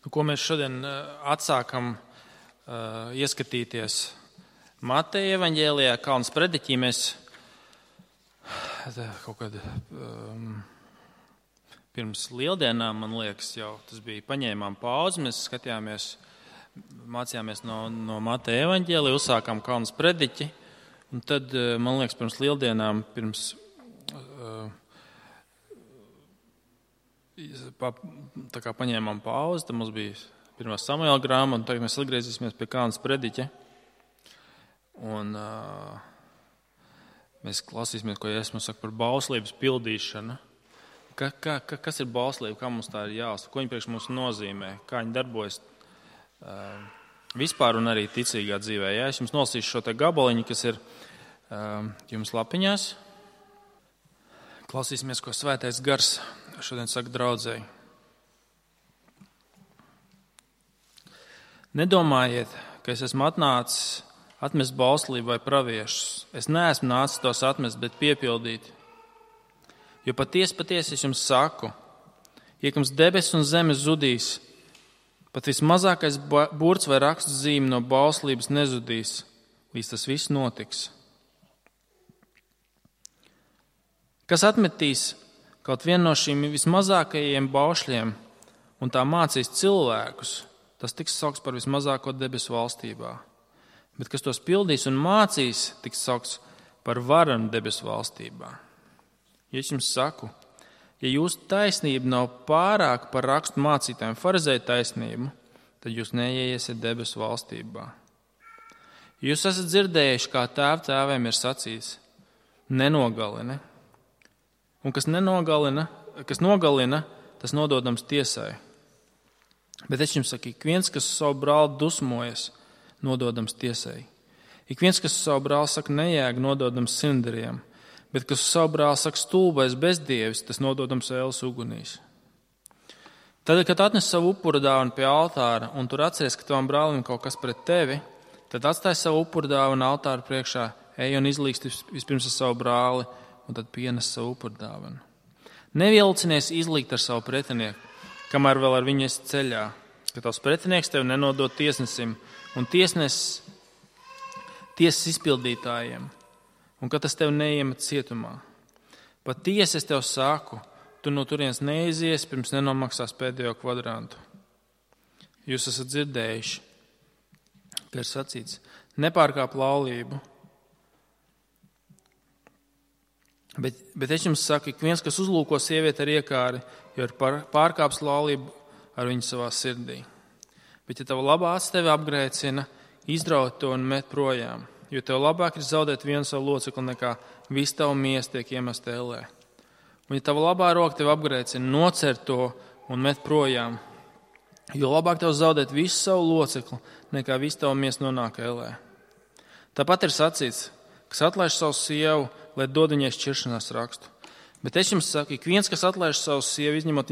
Ko mēs šodien atsākam ieskatīties Mateja evaņģēlijā, Kalnas prediķī. Mēs kaut kad pirms lieldienām, man liekas, jau tas bija, paņēmām pauzi, mēs skatījāmies, mācījāmies no Mateja evaņģēlija, uzsākām Kalnas prediķi, un tad, man liekas, pirms lieldienām, tā kā paņēmām pauzi, tad mums bija 1. Samuēla grāmata, un tagad mēs atgriezīsimies pie Kalnas prediķa. Un mēs klausīsimies, ko Jēzus mums saka par bauslības pildīšanu. Kas ir bauslība, kā mums tā ir jāuztver, ko viņa priekš mums nozīmē, kā viņa darbojas vispār un arī ticīgā dzīvē. Ja? Es jums nolasīšu šo te gabaliņu, kas ir jums lapiņās. Klausīsimies, ko Svētais Gars šodien saka draudzēji. Nedomājiet, ka es esmu atnācis atmest bauslību vai praviešus. Es neesmu nācis tos atmest, bet piepildīt. Jo patiesi es jums saku, iekams debesis un zemes zudīs, pat vismazākais burts vai rakstu zīme no bauslības nezudīs, līdz tas viss notiks. Kas atmetīs kaut vienu no šīm vismazākajiem baušļiem un tā mācīs cilvēkus, tas tiks saukts par vismazāko debesu valstībā. Bet kas tos pildīs un mācīs, tiks saukts par varanu debesu valstībā. Ja es jums saku, ja jūsu taisnība nav pārāk par rakstu mācītājiem farizēju taisnību, tad jūs neieiesiet debesu valstībā. Jūs esat dzirdējuši, kā tēviem ir sacīts, nenogalini. Un kas nogalina, tas nododams tiesai. Bet es jums saku, ik viens, kas savu brāli dusmojas, nododams tiesai. Ik viens, kas savu brāli saka nejēg, nododams sindariem. Bet kas savu brāli saka stulbais bezdievis, tas nododams ēles ugunīs. Tad, kad atnes savu upura dāvanu pie altāra un tur atceries, ka tavam brālim kaut kas pret tevi, tad atstāj savu upura dāvanu altāra priekšā, ej un izlīgsti vispirms ar savu brāli un tad pienes savu upura dāvanu. Nevilcinies izlīgt ar savu pretinieku, kamēr vēl ar viņu esi ceļā, ka tavs pretinieks tevi nenodod tiesnesim un tiesas izpildītājiem, un ka tas tevi neiemet cietumā. Patiesi es tev saku, tu no turienes neizies, pirms nenomaksās pēdējo kvadrantu. Jūs esat dzirdējuši, ka ir sacīts, nepārkāp laulību. Bet es jums saku, ik viens, kas uzlūko sievieti ar iekāri, jo ir pārkāps laulību ar viņu savā sirdī. Bet ja tava labā acs tevi apgrēcina, izraut to un met projām, jo tev labāk ir zaudēt vienu savu locekli, nekā visu tavu miesu tiek iemest ellē. Un ja tava labā roka tevi apgrēcina, nocer to un met projām, jo labāk tev zaudēt visu savu locekli, nekā visu tavu miesu nonāk ellē. Tāpat ir sacīts, kas atlaiž savu sievu, lai dod viņai šķiršanās rakstu. Bet es jums saku, ik viens, kas atlaiž savu sievu, izņemot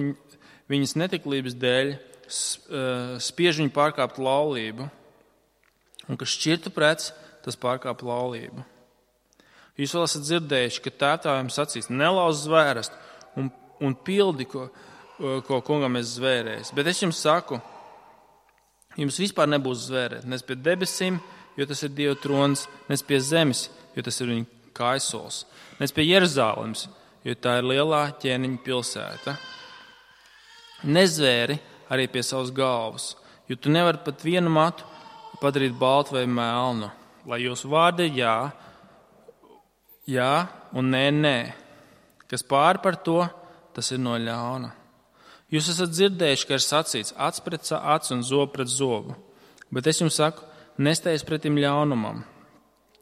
viņas netiklības dēļ, spiež viņu pārkāpt laulību, un kas šķirtu prets, tas pārkāp laulību. Jūs vēl esat dzirdējuši, ka tēviem sacīs, nelauz zvērst un pildi, ko kungam es zvērējis. Bet es jums saku, jums vispār nebūs zvērēt, nes pie debesīm, jo tas ir Dieva trons, nes pie zemes, jo tas ir viņa kaisols, nes pie Jeruzālemes, jo tā ir lielā ķēniņa pilsēta. Nezvēri arī pie savas galvas, jo tu nevari pat vienu matu padarīt baltu vai melnu, lai jūsu vārdi ir jā un nē. Kas pāri par to, tas ir no ļauna. Jūs esat dzirdējuši, ka ir sacīts acs pret acu un zobu pret zobu, bet es jums saku, nesteidz pretim ļaunumam.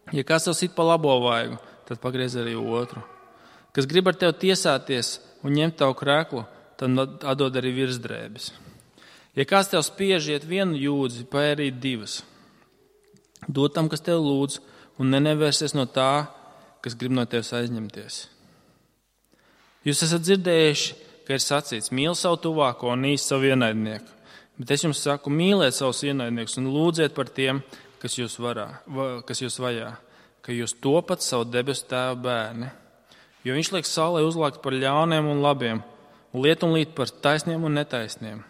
Ja kāds tev sit pa labo vaigu, tad pagriez arī otru. Kas grib ar tevi tiesāties un ņemt tavu krēklu, tad atdod arī virsdrēbes. Ja kāds tev spiež iet vienu jūdzi, paērīt divas. Dod tam, kas tev lūdz, un nenevērsies no tā, kas grib no tevis aizņemties. Jūs esat dzirdējuši, ka ir sacīts, mīli savu tuvāko un īsti savu ienaidnieku. Bet es jums saku, mīliet savus ienaidniekus un lūdziet par tiem, kas jūs vajā, ka jūs topat savu debesu tēva bērni. Jo viņš liek saulē uzlākt par ļauniem un labiem, un lietu un līt par taisniem un netaisniem.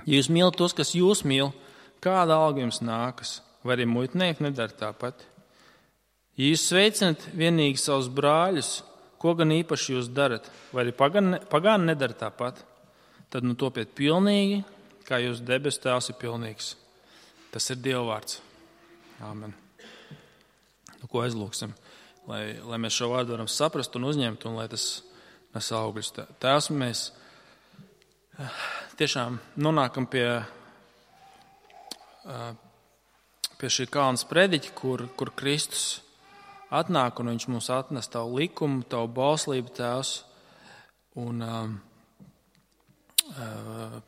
Ja jūs mīlat tos, kas jūs mīl, kāda alga jums nākas? Vai arī muitnieki nedara tāpat? Ja jūs sveicinat vienīgi savus brāļus, ko gan īpaši jūs darat? Vai arī pagāni nedara tāpat? Tad topiet pilnīgi, kā jūs debesu Tēvs ir pilnīgs. Tas ir Dieva vārds. Āmen. Ko aizlūksim? Lai mēs šo vārdu varam saprast un uzņemt, un lai tas nes augļus. Tēvs, mēs tiešām nonākam pie šī kalna sprediķa, kur Kristus atnāk, un viņš mums atnes tavu likumu, tavu bauslību, Tēvs, un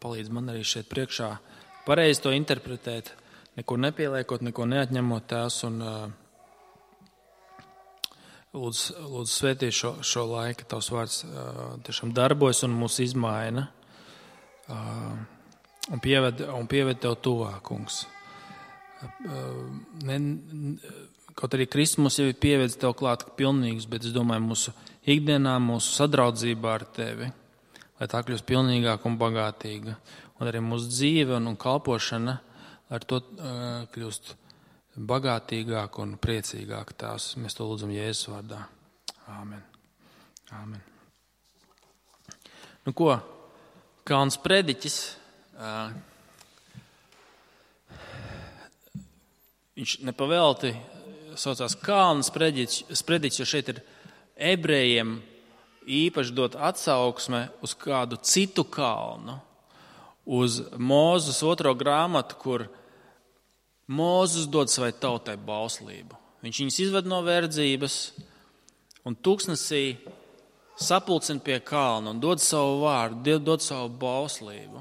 palīdz man arī šeit priekšā pareizi to interpretēt, neko nepieliekot, neko neatņemot, Tēvs, un lūdzu svētī šo laiku, tavs vārds tiešām darbojas un mūs izmaina, un pieved tev tuvāk, kungs. Kaut arī Kristus mums jau ir pievedis tev klāt pilnīgus, bet es domāju, mūsu ikdienā, mūsu sadraudzībā ar tevi, lai tā kļūst pilnīgāka un bagātīga, un arī mūsu dzīve un kalpošana ar to kļūst bagātīgāk un priecīgāk. Tās mēs to lūdzam Jēzus vārdā. Āmen. Āmen. Nu ko, kalns prediķis, viņš nepavelti saucās kalns prediķis, jo šeit ir ebrejiem īpaši dot atsauksme uz kādu citu kalnu, uz Mūzes 2. grāmatu, kur Mūzes dod savai tautai bauslību. Viņš viņus izved no verdzības un tūkstnesī sapulcina pie kalna un dod savu vārdu, dod savu bauslību.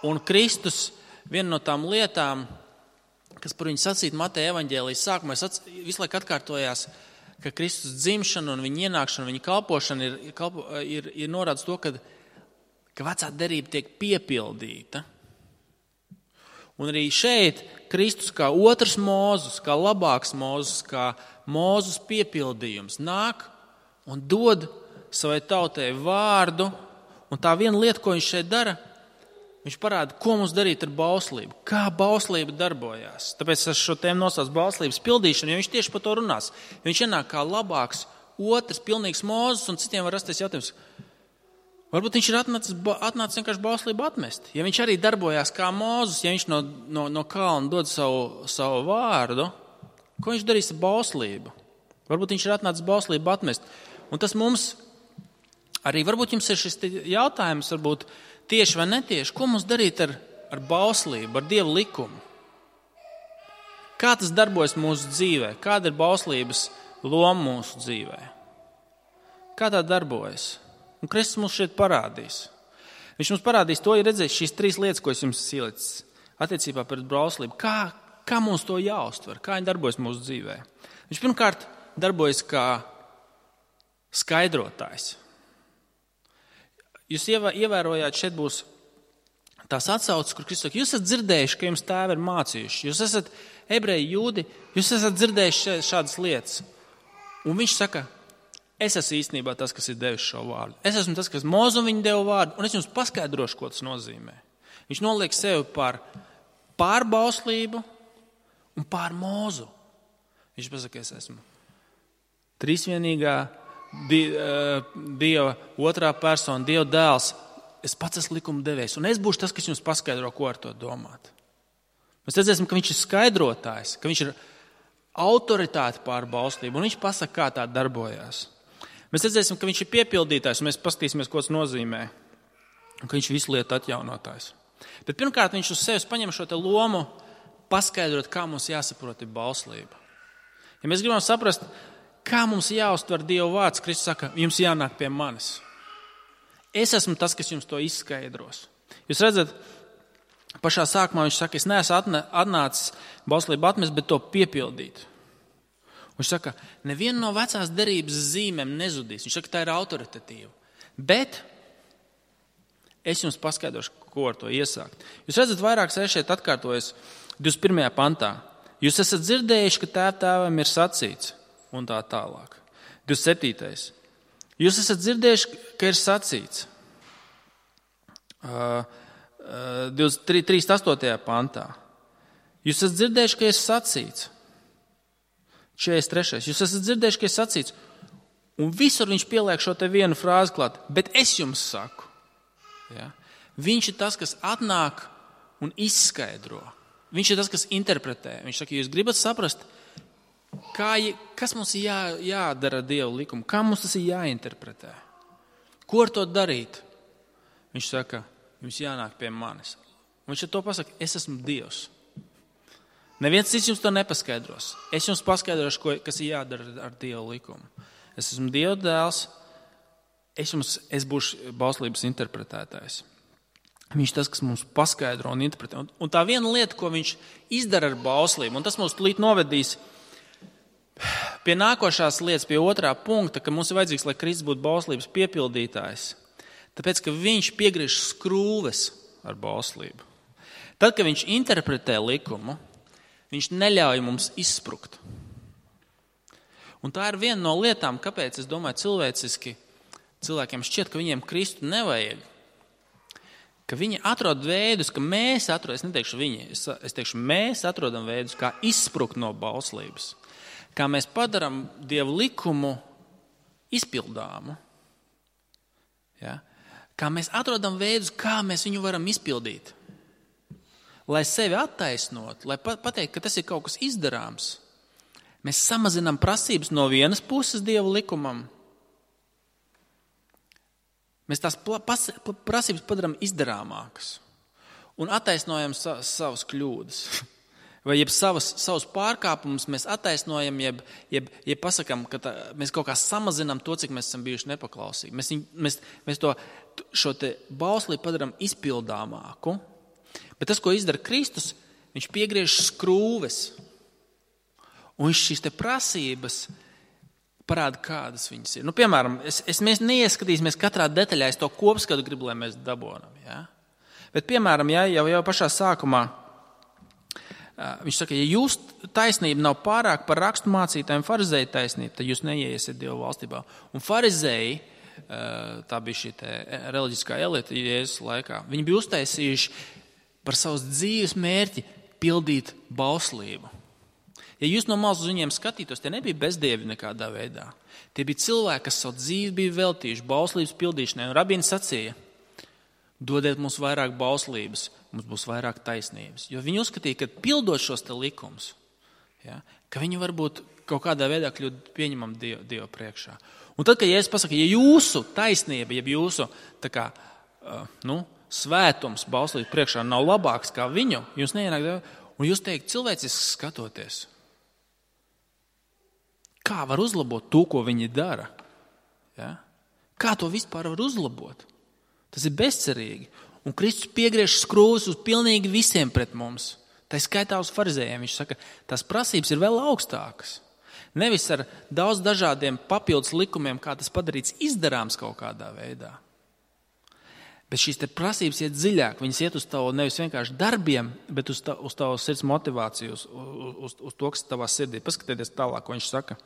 Un Kristus, viena no tām lietām, kas par viņu sacīt Mateja evaņģēlijas sākumā, visu laiku atkārtojās, ka Kristus dzimšana un viņa ienākšana, viņa kalpošana ir norādes to, ka vecā derība tiek piepildīta. Un arī šeit Kristus kā otrs Mūzes, kā labāks Mūzes, kā Mūzes piepildījums nāk un dod savai tautai vārdu. Un tā viena lieta, ko viņš šeit dara, viņš parāda, ko mums darīt ar bauslību, kā bauslība darbojās. Tāpēc es šo tēmu nosaucu bauslības pildīšanu, jo viņš tieši par to runās. Viņš ienāk kā labāks, otrs, pilnīgs Mūzes, un citiem var rasties jautājums, varbūt viņš ir atnācis vienkārši bauslību atmest. Ja viņš arī darbojās kā Mūzes, ja viņš no kalna dod savu vārdu, ko viņš darīs ar bauslību? Varbūt viņš ir atnācis bauslību atmest. Un tas mums arī, varbūt jums ir šis jautājums, varbūt tieši vai netieši, ko mums darīt ar bauslību, ar Dieva likumu? Kā tas darbojas mūsu dzīvē? Kāda ir bauslības loma mūsu dzīvē? Kā tā darbojas? Un Kristus mums šeit parādīs. Viņš mums parādīs to, ja redzēs šīs 3 lietas, ko es jums ielicis attiecībā pret bauslību. Kā mums to jāuztver? Kā viņi darbojas mūsu dzīvē? Viņš pirmkārt darbojas kā skaidrotājs. Jūs ievērojāt, šeit būs tās atsauces, kur Kristus saka, jūs esat dzirdējuši, ka jums tēvi ir mācījuši. Jūs esat ebreji jūdi, jūs esat dzirdējuši šādas lietas. Un viņš saka, es esmu īstenībā tas, kas ir devis šo vārdu. Es esmu tas, kas Mūzum viņu deva vārdu, un es jums paskaidrošu, ko tas nozīmē. Viņš noliek sevi pār bauslību un pār Mūzu. Viņš pasaka, es esmu trīsvienīgā Dieva otrā persona, Dieva dēls. Es pats esmu likuma devējs, un es būšu tas, kas jums paskaidro, ko ar to domāt. Mēs redzēsim, ka viņš ir skaidrotājs, ka viņš ir autoritāte pār bauslību, un viņš pasaka, kā tā darbojās. Mēs redzēsim, ka viņš ir piepildītājs, un mēs paskatīsimies, ko tas nozīmē, un ka viņš visu lietu atjaunotājs. Bet pirmkārt, viņš uz sevis paņem šo te lomu paskaidrot, kā mums jāsaprot ir bauslība. Ja mēs gribam saprast, kā mums jāuztver Dieva vārds, Kristus saka, jums jānāk pie manis. Es esmu tas, kas jums to izskaidros. Jūs redzat, pašā sākumā viņš saka, es neesmu atnācis bauslību atmest, bet to piepildīt. Viņš saka, neviena no vecās derības zīmēm nezudīs. Viņš saka, tā ir autoritatīva. Bet es jums paskaidrošu, ko ar to iesākt. Jūs redzat, vairākas reizes šeit atkārtojas 21. pantā. Jūs esat dzirdējuši, ka tēvam ir sacīts, un tā tālāk. 27. Jūs esat dzirdējuši, ka ir sacīts. 38. pantā. Jūs esat dzirdējuši, ka ir sacīts. 43. Jūs esat dzirdējuši, ka ir sacīts. Un visur viņš pieliek šo te vienu frāzi klāt. Bet es jums saku. Ja? Viņš ir tas, kas atnāk un izskaidro. Viņš ir tas, kas interpretē. Viņš saka, jūs gribat saprast, kas mums ir jādara ar Dieva likumu, kā mums tas ir jāinterpretē. Ko ar to darīt? Viņš saka, jums jānāk pie manis. Un viņš ar to pasaka, es esmu Dievs. Neviens cits jums to nepaskaidros. Es jums paskaidrošu, kas ir jādara ar Dieva likumu. Es esmu Dieva dēls, es būšu bauslības interpretētājs. Viņš tas, kas mums paskaidro un interpretē. Un tā viena lieta, ko viņš izdara ar bauslību, un tas mums tūlīt novedīs pie nākošās lietas, pie otrā punkta, ka mums ir vajadzīgs, lai Kristus būtu bauslības piepildītājs. Tāpēc, ka viņš piegriež skrūves ar bauslību. Tad, kad viņš interpretē likumu, viņš neļauj mums izsprukt. Un tā ir viena no lietām, kāpēc, es domāju, cilvēciski cilvēkiem šķiet, ka viņiem Kristu nevajag. Ka viņi atrod veidus, ka mēs atrodam, es neteikšu viņi, es teikšu, mēs atrodam veidus, kā izsprukt no bauslības. Kā mēs padaram Dievu likumu izpildāmu. Ja? Kā mēs atrodam veidus, kā mēs viņu varam izpildīt. Lai sevi attaisnot, lai pateikt, ka tas ir kaut kas izdarāms. Mēs samazinām prasības no vienas puses Dieva likumam. Mēs tās prasības padarām izdarāmākas un attaisnojam savas kļūdas. Vai savus pārkāpumus mēs attaisnojam, jeb pasakam, ka mēs kaut kā samazinām to, cik mēs esam bijuši nepaklausīgi. Mēs šo te bauslību padarām izpildāmāku. Bet tas, ko izdara Kristus, viņš piegriež skrūves. Un viņš šīs te prasības parāda, kādas viņas ir. Piemēram, mēs neieskatīsimies katrā detaļā, es to kopskatu gribu, lai mēs dabonam. Ja? Bet, piemēram, jau pašā sākumā viņš saka, ja jūsu taisnība nav pārāk par rakstu mācītājiem farizēju taisnību, tad jūs neieiesiet Dieva valstībā. Un farizēji, tā bija šī reliģiskā elite Jēzus laikā, viņi bija uztaisījuši par savas dzīves mērķi pildīt bauslību. Ja jūs no malas uz viņiem skatītos, tie nebija bezdievi nekādā veidā. Tie bija cilvēki, kas savu dzīvi bija veltījuši bauslības pildīšanai. Un rabīni sacīja, dodiet mums vairāk bauslības, mums būs vairāk taisnības. Jo viņi uzskatīja, ka pildot šos te likumus, ja, ka viņi varbūt kaut kādā veidā kļūt pieņemam Dievu priekšā. Un tad, kad Jēzus pasaka, ja jūsu taisnība, ja jūsu svētums bauslības priekšā nav labāks kā viņu, jūs neienāk Dievu, un jūs teikt cilvēciski skatoties, kā var uzlabot to, ko viņi dara? Ja? Kā to vispār var uzlabot? Tas ir bezcerīgi. Un Kristus piegriež skrūves uz pilnīgi visiem pret mums. Tā skaitā uz farizējiem. Viņš saka, tās prasības ir vēl augstākas. Nevis ar daudz dažādiem papildus likumiem, kā tas padarīts izdarāms kaut kādā veidā. Bet šīs te prasības iet dziļāk. Viņas iet uz tavu nevis vienkārši darbiem, bet uz tavu sirds motivāciju, uz to, kas tavā sirdī. Paskatieties tālāk, ko viņš saka.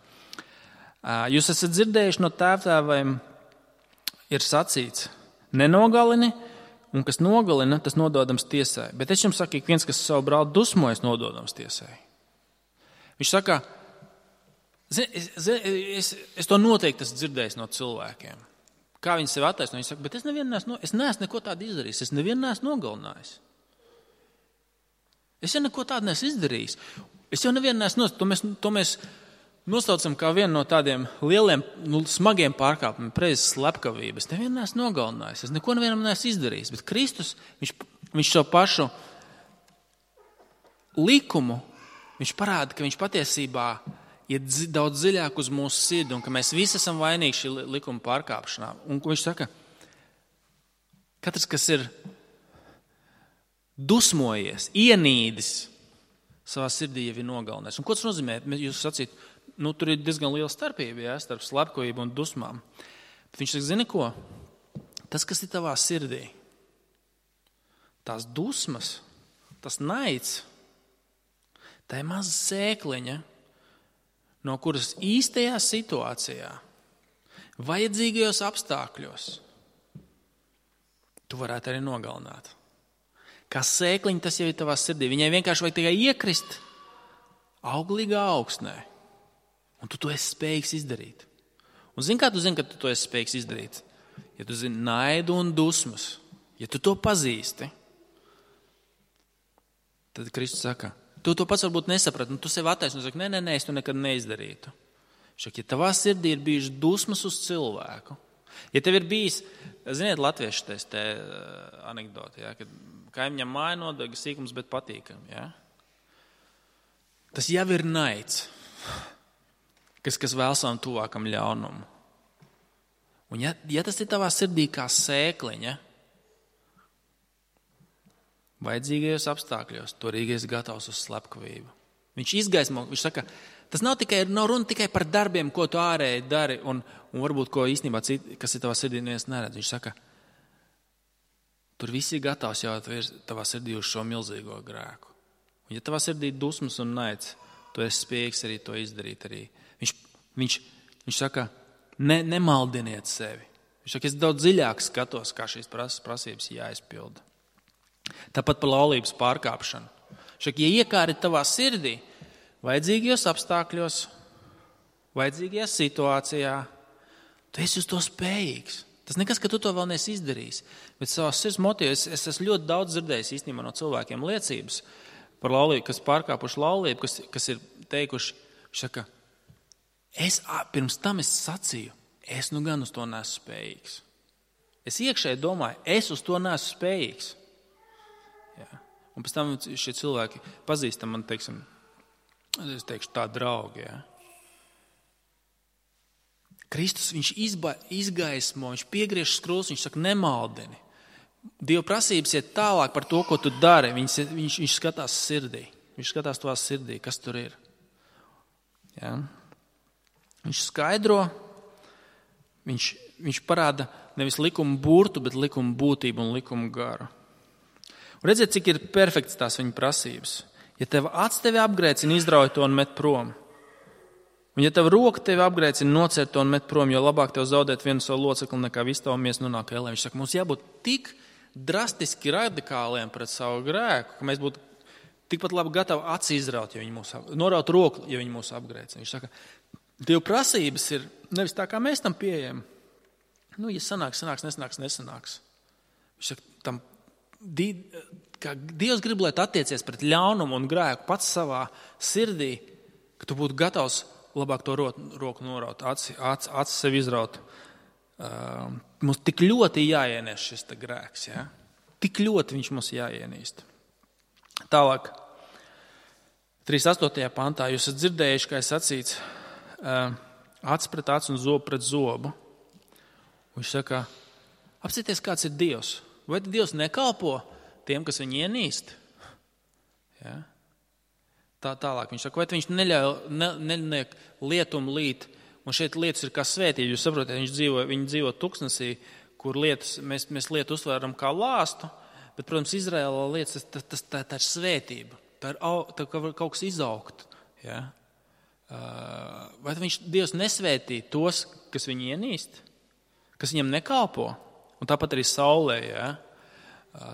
Jūs esat dzirdējuši no tēvtēviem, ir sacīts, nenogalini, un kas nogalina, tas nododams tiesai. Bet es jums saku, viens, kas savu brāli dusmojas, nododams tiesai. Viņš saka, es to noteikti esmu dzirdējis no cilvēkiem. Kā viņi sevi attaisno? Viņi saka, bet es neesmu neko tādu izdarījis. Es nevienu neesmu nogalinājis. Es jau neko tādu neesmu izdarījis. Es jau nevienu neesmu to mēs nosaucam kā vienu no tādiem lieliem, smagiem pārkāpumiem, preizes slepkavības. Es nevienu neesmu nogalinājis. Es neko nevienam neesmu izdarījis. Bet Kristus, viņš šo pašu likumu, viņš parāda, ka viņš patiesībā iet daudz dziļāk uz mūsu sirdi un ka mēs visi esam vainīgi šī likuma pārkāpšanā. Un viņš saka, katrs, kas ir dusmojies, ienīdis savā sirdī, jau ir nogalinājis. Un ko tas nozīmē? Jūs sacīt, tur ir diezgan liela starpība, starp slepkavību un dusmām. Bet viņš saka, zini ko? Tas, kas ir tavā sirdī, tās dusmas, tas naids, tā ir maza sēkliņa, no kuras īstajā situācijā, vajadzīgajos apstākļos, tu varētu arī nogalināt. Kā sēkliņa tas jau ir tavā sirdī. Viņai vienkārši vajag tikai iekrist auglīgā augsnē. Un tu to esi spējīgs izdarīt. Un zini, kā tu zini, ka tu to esi spējīgs izdarīt? Ja tu zini naidu un dusmas, ja tu to pazīsti, tad Kristus saka, tu to pats varbūt nesaprati, un tu sev attaisno un saki, nē, es to nekad neizdarītu. Šak, ja tavā sirdī ir bijušas dusmas uz cilvēku, ja tev ir bijis, ziniet, latviešu te anekdoti, ja, kad kaimiņam māja nodega sīkums, bet patīkam, ja? Tas jau ir naids, kas vēl savam tuvākam ļaunumu. Un ja tas ir tavā sirdī kā sēkliņa, vajadzīgajos apstākļos, turīgais gatavs uz slepkavību. Viņš izgaismo, viņš saka, tas nav runa tikai par darbiem, ko tu ārēji dari, un varbūt, ko īstenībā kas ir tavā sirdī, neviens neredz. Viņš saka, tur viss ir gatavs jau tavā sirdī uz šo milzīgo grēku. Un ja tavā sirdī ir dusmas un naids, tu esi spējīgs arī to izdarīt arī. Viņš saka, nemaldiniet sevi. Viņš saka, es daudz dziļāk skatos, kā šīs prasības jāizpilda. Tāpat par laulības pārkāpšanu. Šak, ja iekāri tavā sirdī, vajadzīgajos apstākļos, vajadzīgajā situācijā, tu esi uz to spējīgs. Tas nekas, ka tu to vēl neesi izdarījis. Bet savās sirds motīvos es esmu ļoti daudz dzirdējis īstenībā no cilvēkiem liecības par laulību, kas pārkāpuši laulību, kas ir teikuši, šaka, pirms tam es sacīju, es nu gan uz to neesmu spējīgs. Es iekšēji domāju, es uz to neesmu spējīgs. Jā. Un pēc tam šie cilvēki pazīstam man, teiksim, es teikšu tā draugi. Ja. Kristus, viņš izgaismo, viņš piegriež skrūs, viņš saka, nemaldini. Dieva prasības iet tālāk par to, ko tu dari. Viņš skatās sirdī. Viņš skatās tavā sirdī, kas tur ir. Ja. Viņš skaidro, viņš parāda nevis likumu burtu, bet likumu būtību un likumu garu. Un redziet, cik ir perfekts tās viņa prasības. Ja tev acs tevi apgrēcina, izrauj to un met prom. Un ja tev roka tevi apgrēcina, nocērt to un met prom, jo labāk tev zaudēt vienu savu locekli, nekā visu tavu miesu nonāk ellē. Viņš saka, mums jābūt tik drastiski radikāliem pret savu grēku, ka mēs būtu tikpat labi gatavi aci izraut, ja viņi mūs noraut roku, ja viņi mūs apgrēcina. Viņš saka, Dieva prasības ir nevis tā, kā mēs tam pieejam. Nu, ja sanāks, nesanāks. Viņš saka, kā Dievs grib, lai tu attiecies pret ļaunumu un grēku pats savā sirdī, ka tu būtu gatavs labāk to roku noraut, acis sev izraut. Mums tik ļoti jāienēs šis grēks. Ja? Tik ļoti viņš mums jāienīst. Tālāk, 38. pantā, jūs esat dzirdējuši, kā es sacīts, acis pret aci un zobu pret zobu. Viņš saka, apsieties, kāds ir Dievs. Vai Dievs nekalpo tiem, kas viņu ienīst? Ja? Tālāk viņš saka, vai viņš neļauj lietumu līt, un šeit lietas ir kā svētība. Jūs saprotat, viņi dzīvo tuksnesī, kur lietas, mēs lietu uztvēram kā lāstu, bet, protams, Izraēlā lietas, tā ir svētība. Tā ir kaut kas izaugt. Ja? Vai Dievs nesvētī tos, kas viņu ienīst, kas viņam nekalpo? Un tāpat arī saulē. Ja?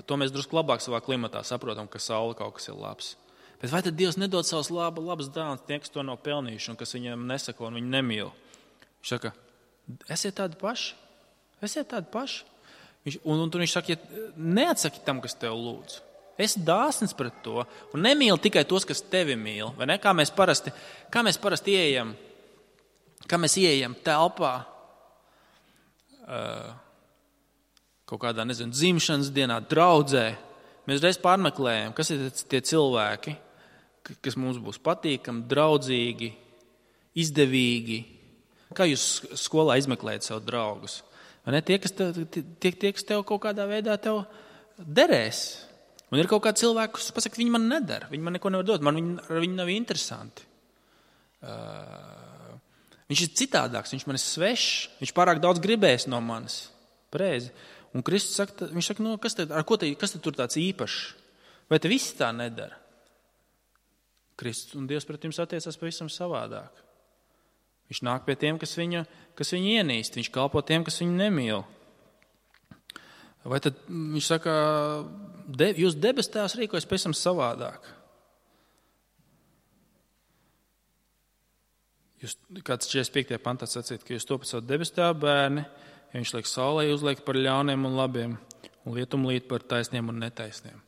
To mēs drusku labāk savā klimatā saprotam, ka saule kaut kas ir labs. Bet vai tad Dievs nedod savus labus dāvanas tiem, kas to nav pelnījuši un kas viņam nesako un viņu nemīl? Viņš saka, esiet tādi paši. Un tur viņš saka, neatsaki tam, kas tev lūdz. Esi dāsns pret to un nemīli tikai tos, kas tevi mīl. Vai ne? Kā mēs parasti ieejam, kā mēs ieejam telpā kaut kādā, dzimšanas dienā, draudzē. Mēs reiz pārmeklējam, kas ir tie cilvēki, kas mums būs patīkami, draudzīgi, izdevīgi. Kā jūs skolā izmeklējat savu draugus? Vai ne? Tie, kas tev kaut kādā veidā tev derēs. Un ir kaut kādi cilvēki, kas pasaka, viņi man nedara, viņi man neko nevar dot, viņi nav interesanti. Viņš ir citādāks, viņš man ir svešs, viņš pārāk daudz gribēs no manis. Pareizi. Un Kristus saka, viņš saka, no, kas te tur tāds īpašs? Vai te visi tā nedara? Kristus un Dievs pret jums attiecās pavisam savādāk. Viņš nāk pie tiem, kas viņu ienīst, viņš kalpo tiem, kas viņu nemīl. Vai tad viņš saka, jūs debes tēvs rīkojas pēc tam savādāk? Jūs, kāds 45. pantā sacīt, ka jūs topat savu debes tēvu bērni, ja viņš liek saulē, uzliek par ļauniem un labiem, un lietum līt par taisniem un netaisniem.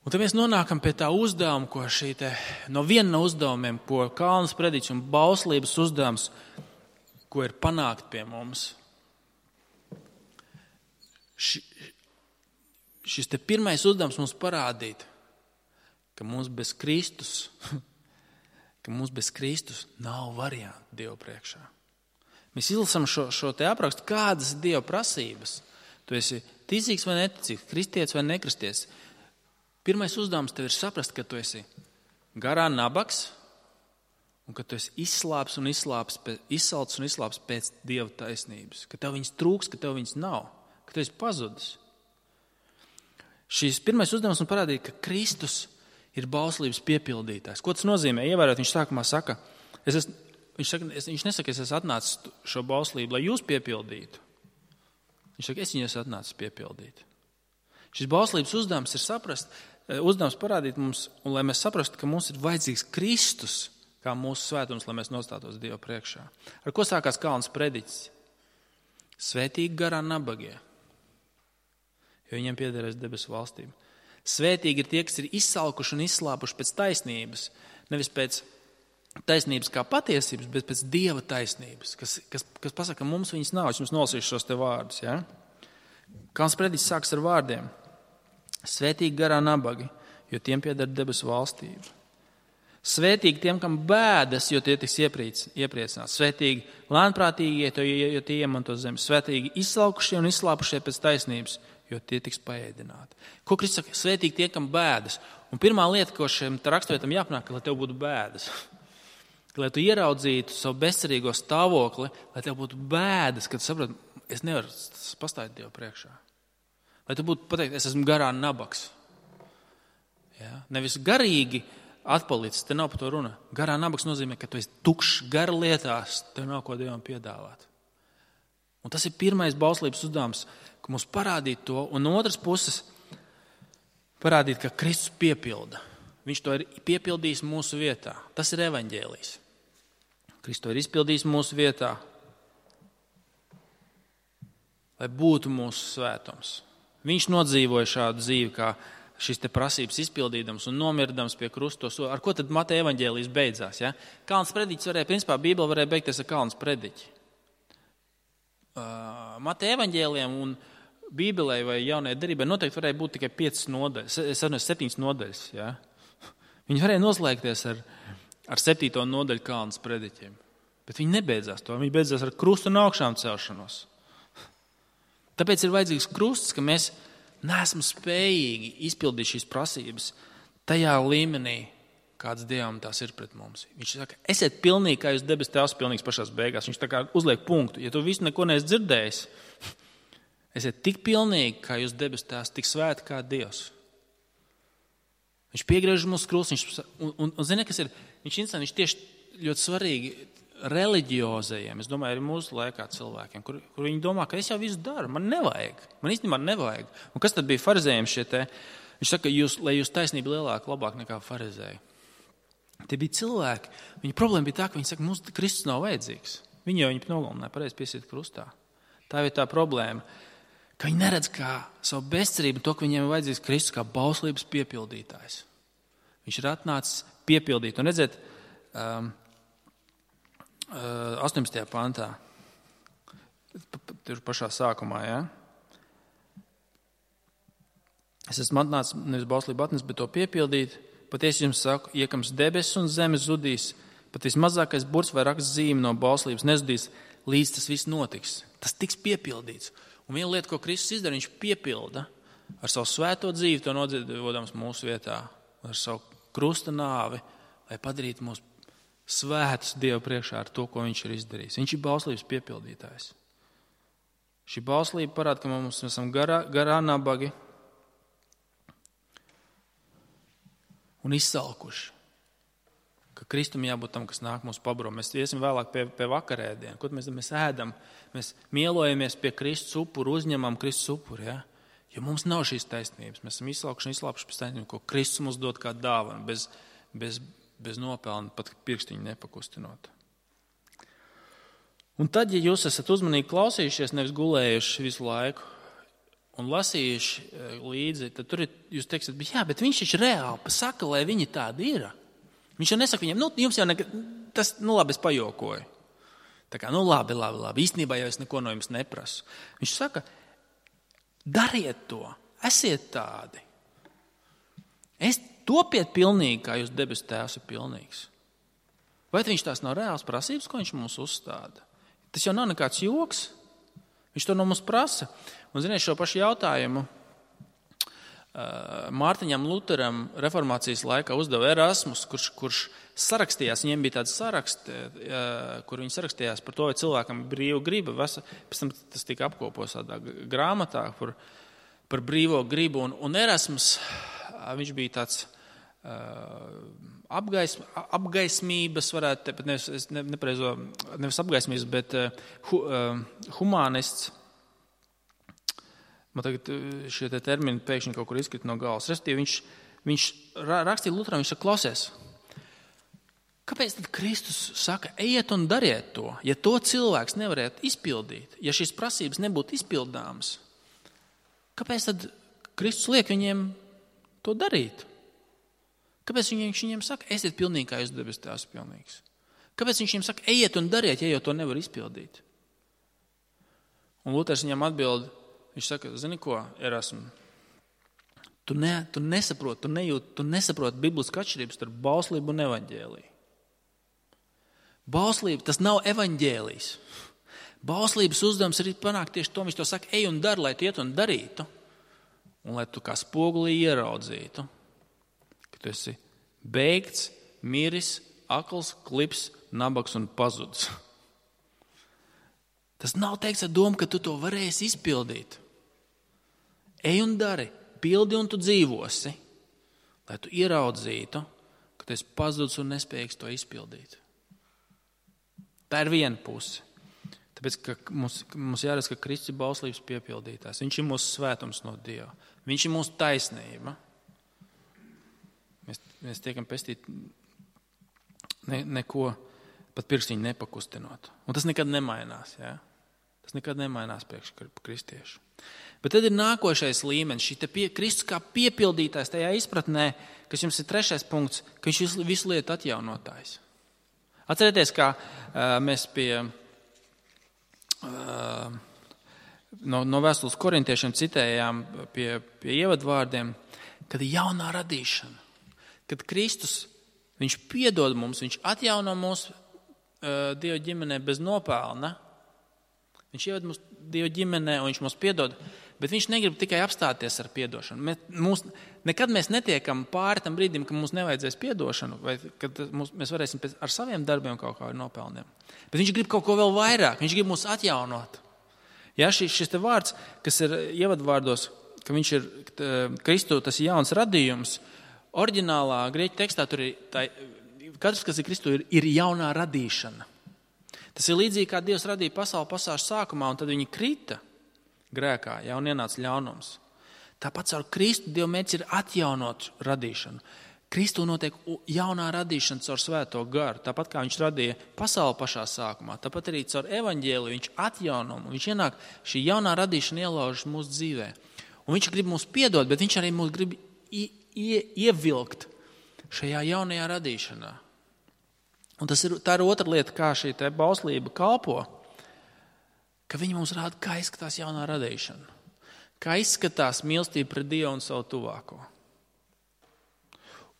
Un tad mēs nonākam pie tā uzdevuma, ko no viena no uzdevumiem, ko Kalnas prediķis un bauslības uzdevums, ko ir panākt pie mums. Šis te pirmais uzdevums mums parādīt, ka mums bez Kristus nav variantu Dievu priekšā. Mēs izlasām šo te aprakstu, kādas ir Dieva prasības. Tu esi ticīgs vai neticīgs, kristietis vai nekristietis. Pirmais uzdevums tev ir saprast, ka tu esi garā nabaks un ka tu esi izsalcis un izslāpis pēc Dieva taisnības. Ka tev viņas trūks, ka tev viņas nav, ka tu esi pazudis. Šīs pirmais uzdevums man parādīja, ka Kristus ir bauslības piepildītājs. Ko tas nozīmē? Ievērot, viņš sākumā saka, viņš nesaka, es esmu atnācis šo bauslību, lai jūs piepildītu. Viņš saka, es viņu esmu atnācis piepildīt. Šis bauslības uzdevums ir uzdevums parādīt mums, un lai mēs saprastu, ka mums ir vajadzīgs Kristus, kā mūsu svētums, lai mēs nostātos Dieva priekšā. Ar ko sākās Kalnas prediķis? Svētīgi garā nabagie, jo viņiem piederēs debesu valstība. Svētīgi ir tie, kas ir izsalkuši un izslāpuši pēc taisnības, nevis pēc taisnības kā patiesības, bet pēc Dieva taisnības, kas pasaka, ka mums viņas nav. Es jums nolasīšu šos te vārdus. Ja? Kalnas prediķis sāks ar vārdiem. Svētīgi garā nabagi, jo tiem pieder debesu valstība. Svētīgi tiem, kam bēdas, jo tie tiks iepriecināti. Svētīgi lēnprātīgie, jo tie iemantos zemi. Svētīgi izsalkušie un izslāpušie pēc taisnības, jo tie tiks paēdināti. Ko Kristus saka? Svētīgi tie, kam bēdas. Un pirmā lieta, ko šim raksturvietam jāpanāk, lai tev būtu bēdas. Lai tu ieraudzītu savu bezcerīgo stāvokli, lai tev būtu bēdas, kad tu saproti, es nevaru pastāvēt Dievu priekšā. Lai tu būtu pateikt, es esmu garā nabaks. Ja? Nevis garīgi atpalicis, te nav par to runa. Garā nabaks nozīmē, ka tu esi tukšs gara lietās, tev nav ko Dievam piedāvāt. Un tas ir pirmais bauslības uzdevums, ka mums parādīt to, un no otras puses parādīt, ka Kristus piepilda. Viņš to ir piepildījis mūsu vietā. Tas ir evaņģēlijs. Kristus to ir izpildījis mūsu vietā, lai būtu mūsu svētums. Viņš nodzīvoja šādu dzīvi, kā šis te prasības izpildīdams un nomirdams pie krustos. Ar ko tad Mateja evaņģēlijs beidzās? Ja? Kalnas prediķis principā Bībele varēja beigties ar Kalnas prediķi. Mateja evaņģēlijam un Bībelei vai jaunajai derībai noteikti varēja būt tikai 5 nodaļas, 7 nodaļas. Ja? Viņi varēja noslēgties ar 7. nodaļu Kalnas prediķiem. Bet viņi nebeidzās to. Viņi beidzās ar krustu un augšām celšanos. Tāpēc ir vajadzīgs krusts, ka mēs neesam spējīgi izpildīt šīs prasības tajā līmenī, kāds Dievam tās ir pret mums. Viņš saka, esiet pilnīgi, kā jūs debes tēvs pilnīgs pašās beigās. Viņš tā kā uzliek punktu. Ja tu visu neko neesi dzirdējis, esiet tik pilnīgi, kā jūs debes tēvs, tik svēti kā Dievs. Viņš piegriež mūsu krustu, un zini, kas ir? Viņš tieši ļoti svarīgi reliģiozajiem, es domāju, arī mūsu laikā cilvēkiem, kur viņi domā, ka es jau visu daru, man nevajag. Man īstenībā nevajag. Un kas tad bija farizējiem šie te? Viņš saka, lai jūs taisnība lielāka, labāk nekā farizēji. Tie bija cilvēki. Viņa problēma bija tā, ka viņi saka, mums Kristus nav vajadzīgs. Viņi jau viņu nogalināja, pareizi piesiet krustā. Tā ir tā problēma, ka viņi neredz kā savu bezcerību to, ka viņiem ir vajadzīgs Kristus kā bauslības piepildītājs. Viņš ir atnācis piepildīt. Un redziet, 18. pantā, tur pašā sākumā, ja? Es esmu atnācis nevis bauslību atnest, bet to piepildīt. Patiesi jums saku, iekams debesis un zemes zudīs, pat vismazākais burts vai raksts zīme no bauslības nezudīs, līdz tas viss notiks. Tas tiks piepildīts. Un viena lieta, ko Kristus izdara, viņš piepilda ar savu svēto dzīvi, to nodzīvodams mūsu vietā, ar savu krusta nāvi, lai padarītu mūs svētus Dievu priekšā ar to, ko viņš ir izdarījis. Viņš ir bauslības piepildītājs. Šī bauslība parāda, ka mums esam garā nabagi un izsalkuši. ka Kristum jābūt tam, kas nāk mūsu pabaru. Mēs iesim vēlāk pie vakarēdiena. Ko mēs ēdam? Mēs mielojamies pie Kristus upuru, uzņemam Kristus upuru. Ja? Jo mums nav šīs taisnības. Mēs esam izslāpuši pēc taisnības, ko Kristus mums dod kā dāvanu, bez nopelna, pat pirkstiņu nepakustinot. Un tad, ja jūs esat uzmanīgi klausījušies, nevis gulējuši visu laiku un lasījuši līdzi, tad tur jūs teiksiet, bet viņš taču reāli saka, lai viņi tādi ir. Viņš jau nesaka viņiem, jums jau tas, labi, es pajokoju. Tā kā, labi. Īstenībā jau es neko no jums neprasu. Viņš saka, dariet to, esiet tādi. Topiet pilnīgi, kā jūs debesu tēvs ir pilnīgs. Vai viņš tās nav reāls prasības, ko viņš mums uzstāda? Tas jau nav nekāds joks. Viņš to no mums prasa. Un, ziniet, šo pašu jautājumu Mārtiņam Luteram reformācijas laikā uzdeva Erasmus, kurš sarakstījās, viņiem bija tāds saraksts, kur viņi sarakstījās par to, vai cilvēkam ir brīva griba. Pēc tam tas tika apkopots tādā grāmatā par brīvo gribu. Un Erasmus, viņš bija tāds apgaismības, varētu teikt, nevis apgaismības, bet humanists. Man tagad šie termini pēkšņi kaut kur izkrita no galvas. Respektīvi, viņš rakstīja Luteram, viņš saka, klausies, kāpēc tad Kristus saka, ejiet un dariet to, ja to cilvēks nevarētu izpildīt, ja šīs prasības nebūtu izpildāmas? Kāpēc tad Kristus liek viņiem to darīt? Kāpēc viņš viņiem saka, esiet pilnīgi, kā jūs debes tēvs pilnīgs? Kāpēc viņš viņiem saka, ejiet un dariet, ja jau to nevar izpildīt? Un Luters viņam atbild, viņš saka, zini ko, Erasmu, tu nesaproti, tu nesaproti biblisku atšķirības starp bauslību un evaņģēliju. Bauslība, tas nav evaņģēlijs. Bauslības uzdevums ir panākt tieši to, viņš to saka, ej un dari, lai tu iet un darītu, un lai tu kā spogulī ieraudzītu, ka tu esi beigts, miris, akls, klips, nabaks un pazudis. Tas nav teikts ar domu, ka tu to varēsi izpildīt. Ej un dari, pildi un tu dzīvosi, lai tu ieraudzītu, ka tu esi pazudis un nespējīgs to izpildīt. Tā ir viena puse. Tāpēc, ka mums jāredz, ka Kristus ir bauslības piepildītājs. Viņš ir mūsu svētums no Dieva. Viņš ir mūsu taisnība. Mēs tiekam pestīti neko pat pirkstiņu nepakustinot. Un tas nekad nemainās. Ja? Tas nekad nemainās priekš kristiešu. Bet tad ir nākošais līmenis, šī Kristus kā piepildītājs tajā izpratnē, kas jums ir 3. punkts, ka viņš visu lietu atjaunotājs. Atcerieties, kā mēs no vēstules korintiešiem citējām pie ievadvārdiem, kad ir jaunā radīšana. Kad Kristus, viņš piedod mums, viņš atjauno mūsu Dieva ģimenē bez nopelna. Viņš ieved mūs Dieva ģimenē un viņš mums piedod, bet viņš negrib tikai apstāties ar piedošanu. Nekad mēs netiekam pāri tam brīdim, ka mums nevajadzēs piedošanu, vai kad mēs varēsim ar saviem darbiem kaut kā nopelniem. Bet viņš grib kaut ko vēl vairāk, viņš grib mūs atjaunot. Ja, šis te vārds, kas ir ievadvārdos, ka viņš ir Kristu, tas ir jauns radījums, oriģinālā grieķu tekstā tur ir, katrs, kas ir Kristu, ir jaunā radīšana. Tas ir līdzīgi, kā Dievs radīja pasauli pasaules sākumā, un tad viņi krita grēkā, ja, un ienāca ļaunums. Tāpat caur Kristu Dieva mērķis ir atjaunot radīšanu. Kristu notiek jaunā radīšana caur svēto garu. Tāpat kā viņš radīja pasauli pašā sākumā, tāpat arī caur evaņģēliju viņš atjauno. Viņš ienāk, šī jaunā radīšana ielaužas mūsu dzīvē. Un viņš grib mūs piedot, bet viņš arī mūs grib ievilkt šajā jaunajā radīšanā. Un tā ir otra lieta, kā šī te bauslība kalpo, ka viņi mums rāda, kā izskatās jaunā radīšana. Kā izskatās mīlestība pret Dievu un savu tuvāko.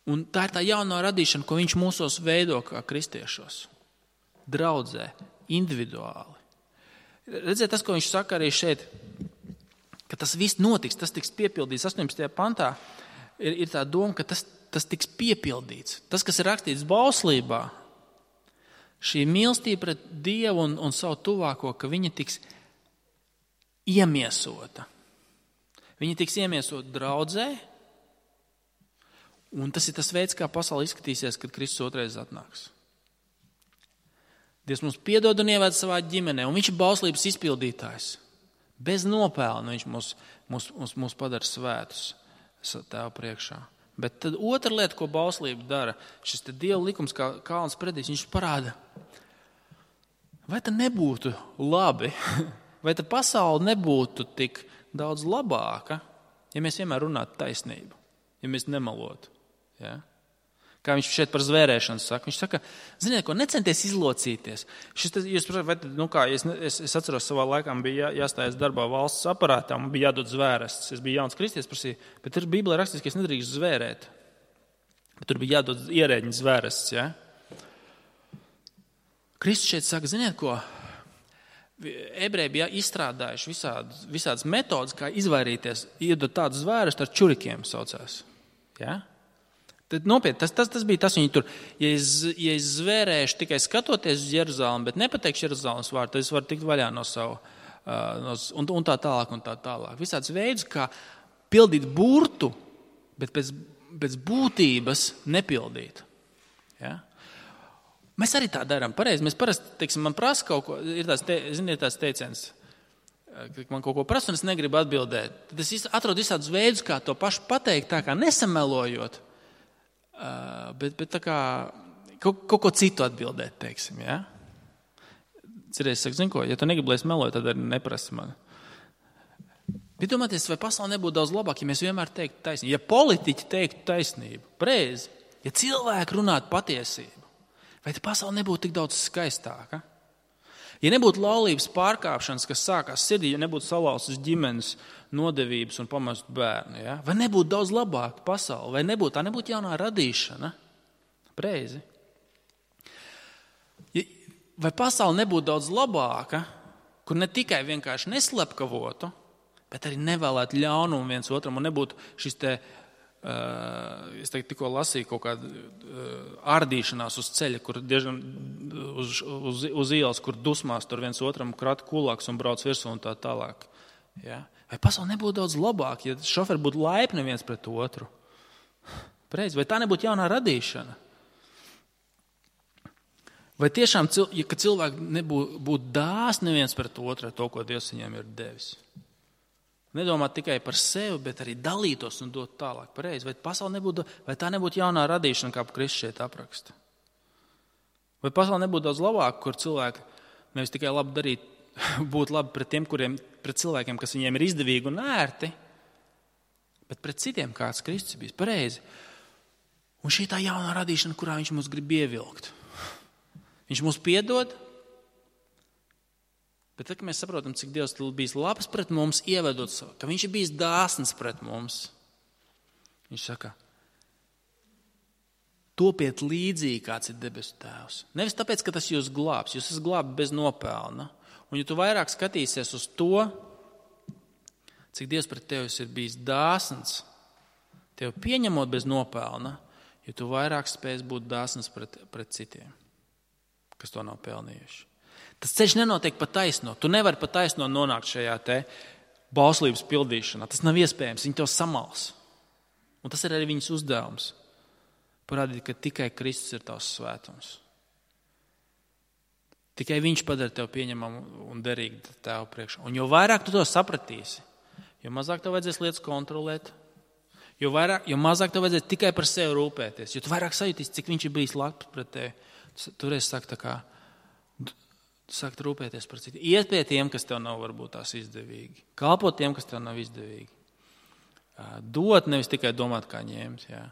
Un tā ir tā jaunā radīšana, ko viņš mūsos veido kā kristiešos. Draudzē, individuāli. Redziet, tas, ko viņš saka arī šeit, ka tas viss notiks, tas tiks piepildīts 18. pantā, ir tā doma, ka tas tiks piepildīts. Tas, kas ir rakstīts bauslībā, šī mīlestība pret Dievu un savu tuvāko, ka viņa tiks iemiesota. Viņa tiks iemiesota draudzē, Un tas ir tas veids, kā pasaule izskatīsies, kad Kristus otrais atnāks. Dievs mums piedod un ieved savā ģimenē, un viņš ir bauslības izpildītājs. Bez nopelna viņš mūs padara svētus Tēva priekšā. Bet tad otra lieta, ko bauslība dara, šis te Dieva likums, kā kalns predīs, viņš parāda, vai tad nebūtu labi, vai tad pasaule nebūtu tik daudz labāka, ja mēs vienmēr runātu taisnību, ja mēs nemalotu. Ja? Kā viņš šeit par zvērēšanu saka. Viņš saka, ziniet, ko necenties izlocīties. Es atceros, savā laikā bija jāstājas darbā valsts aparātā, man bija jādod zvērests. Es biju jauns kristietis, prasīju, bet tur Bībelē rakstīts, ka es nedrīkst zvērēt. Bet tur bija jādod ierēģiņa zvērests. Ja? Kristus šeit saka, ziniet, ko ebreji bija izstrādājuši visādas metodas, kā izvairīties, iedot tādu zvērestu ar čurikiem saucās. Ja? Tad nopietni, tas bija tas, viņi tur, ja es zvērēšu tikai skatoties uz Jeruzalemi, bet nepateikšu Jeruzalemes vārdu, tad es varu tikt vaļā no savu, un tā tālāk. Visāds veids, kā pildīt burtu, bet pēc būtības nepildīt. Ja? Mēs arī tā darām, pareizi. Mēs parasti, teiksim, man prasa kaut ko, ir tās teiciens, man kaut ko prasa un es negribu atbildēt. Tad es atrodu visādus veidus, kā to pašu pateikt, tā kā nesamelojot. Bet tā kā kaut ko citu atbildēt, teiksim, ja? Cerēs, saka, zini ko, ja tu negribi, lai es meloju, tad arī neprasi man. Bet domāties, vai pasaule nebūtu daudz labāk, ja mēs vienmēr teiktu taisnību, ja politiķi teiktu taisnību, pareizi, ja cilvēki runātu patiesību, vai pasaule nebūtu tik daudz skaistāka? Ja nebūtu laulības pārkāpšanas, kas sākās sirdī, ja nebūtu salauztas ģimenes nodevības un pamestu bērnu, ja? Vai nebūtu daudz labāka pasaule, vai tā nebūtu jaunā radīšana? Preizi. Vai pasaule nebūtu daudz labāka, kur ne tikai vienkārši neslepkavotu, bet arī nevēlētu ļaunumu viens otram un nebūtu šis te, es tikko lasīju kaut kādu ārdīšanās uz ceļa, kur diezgan uz ielas, kur dusmās tur viens otram krata kulāks un brauc virsū un tā tālāk. Ja? Vai pasaule nebūtu daudz labāk, ja šoferi būtu laipni viens pret otru? Preiz, vai tā nebūtu jaunā radīšana? Vai tiešām, ka cilvēki būtu dāsni viens pret otru ar to, ko Dievs viņiem ir devis? Nedomāt tikai par sevi, bet arī dalītos un dot tālāk. Pareizi. Vai tā nebūtu jaunā radīšana, kā Kristus šeit apraksta? Vai pasaule nebūtu daudz labāk, kur cilvēki nevis tikai labi darīt, būt labi pret cilvēkiem, kas viņiem ir izdevīgi un ērti, bet pret citiem, kāds Kristus bijis. Pareizi. Un šī tā jaunā radīšana, kurā viņš mūs grib ievilkt. Viņš mūs piedod, bet tad, kad mēs saprotam, cik Dievs bijis labs pret mums, ievedot savu, ka viņš ir bijis dāsns pret mums, viņš saka, topiet līdzīgi, kāds ir debesu Tēvs. Nevis tāpēc, ka tas jūs glābs, jūs esat glābti bez nopelna. Un ja tu vairāk skatīsies uz to, cik Dievs pret tevis ir bijis dāsns, tevi pieņemot bez nopelna, jo tu vairāk spēs būt dāsns pret citiem, kas to nav pelnījuši. Tas ceļš nenotiek pa taisno. Tu nevari pa taisno nonākt šajā te bauslības pildīšanā. Tas nav iespējams. Viņi to samals. Un tas ir arī viņas uzdevums. Parādīt, ka tikai Kristus ir tavs svētums. Tikai viņš padara tev pieņemamu un derīgu Tēva priekšā. Un jo vairāk tu to sapratīsi, jo mazāk tev vajadzēs lietas kontrolēt, jo mazāk tev vajadzēs tikai par sevi rūpēties, jo tu vairāk sajūtīsi, cik viņš ir bijis labs pret tevi. Toreiz saka tā kā sākt rūpēties par citiem. Iet pie tiem, kas tev nav varbūt tās izdevīgi. Kalpot tiem, kas tev nav izdevīgi. Dot, nevis tikai domāt, kā ņemt. Jā.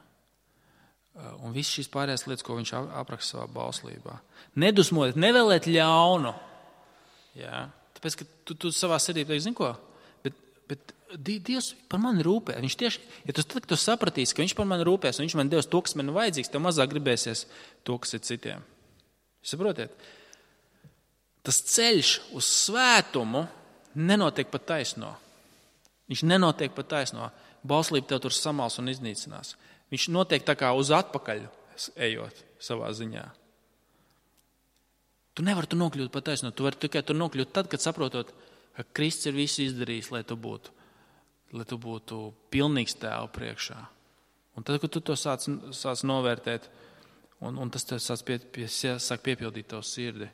Un viss šīs pārējās lietas, ko viņš apraksta savā bauslībā. Nedusmojiet, nevēlēt ļaunu. Jā. Tāpēc, ka tu savā sirdī teiksi, zini ko? Bet Dievs par mani rūpē. Viņš tieši, ja tu sapratīsi, ka viņš par mani rūpēs un viņš man devis to, kas man vajadzīgs, tev mazāk gribēsies to, kas ir citiem. Saprotiet? Tas ceļš uz svētumu nenotiek pa taisno. Viņš nenotiek pa taisno. Bauslība tev tur samals un iznīcinās. Viņš notiek tā kā uz atpakaļ ejot savā ziņā. Tu nevari tur nokļūt pa taisno. Tu vari tikai tur nokļūt tad, kad saprotot, ka Kristus ir visu izdarījis, lai tu būtu pilnīgs Tēva priekšā. Un tad, kad tu to sāc novērtēt, un tas tev sāk piepildīt tavu sirdi,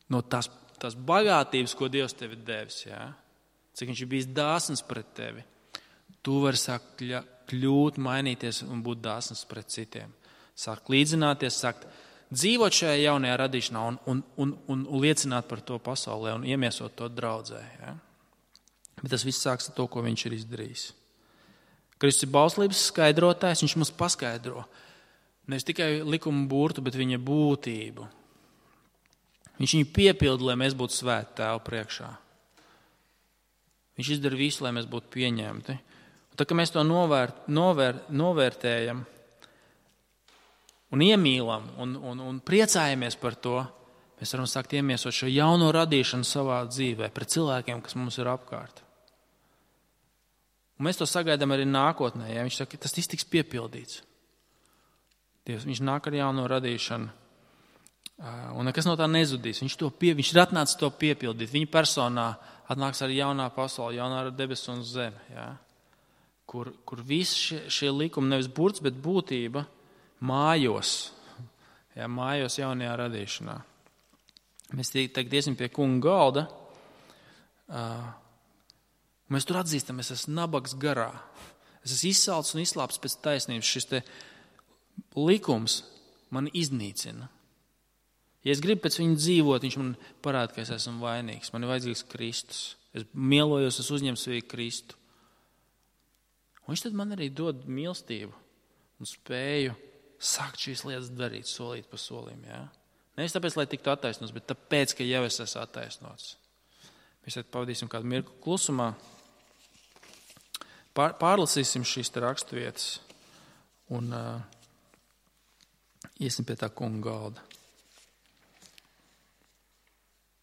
no tās bagātības, ko Dievs tev ir devis, cik viņš ir bijis dāsns pret tevi, tu vari sākt kļūt, mainīties un būt dāsns pret citiem. Sākt līdzināties, sākt dzīvot šajā jaunajā radīšanā un liecināt par to pasaulē un iemiesot to draudzē. Bet tas viss sāks ar to, ko viņš ir izdarījis. Kristus ir bauslības skaidrotājs, viņš mums paskaidro nevis tikai likuma burtu, bet viņa būtību. Viņš viņu piepilda, lai mēs būtu svēti Tēva priekšā. Viņš izdara visu, lai mēs būtu pieņemti. Un tā, ka mēs to novērtējam un iemīlam un priecājamies par to, mēs varam sākt iemiesot šo jauno radīšanu savā dzīvē pret cilvēkiem, kas mums ir apkārt. Un mēs to sagaidām arī nākotnē. Ja? Viņš saka, tas tiks piepildīts. Dievs, viņš nāk ar jauno radīšanu. Un nekas no tā nezudīs. Viņš ir atnācis to piepildīt. Viņa personā atnāks arī jaunā pasaule, jaunā debesu un zeme. Ja? Kur visi šie likumi, nevis burts, bet būtība, mājos. Ja? Mājos jaunajā radīšanā. Mēs tagad iesim pie kunga galda. Mēs tur atzīstam, es esmu nabaks garā. Es esmu izsalcis un izslāpis pēc taisnības. Šis te likums mani iznīcina. Ja es gribu pēc viņa dzīvot, viņš man parāda, ka es esmu vainīgs. Man ir vajadzīgs Kristus. Es mielojos, es uzņemu sevī Kristu. Un viņš tad man arī dod mīlestību un spēju sākt šīs lietas darīt solīt pa solim. Ja? Nevis tāpēc, lai tiktu attaisnots, bet tāpēc, ka jau es esmu attaisnots. Mēs tad pavadīsim kādu mirkli klusumā. Pārlasīsim šīs raksturvietas un iesim pie tā kunga galda.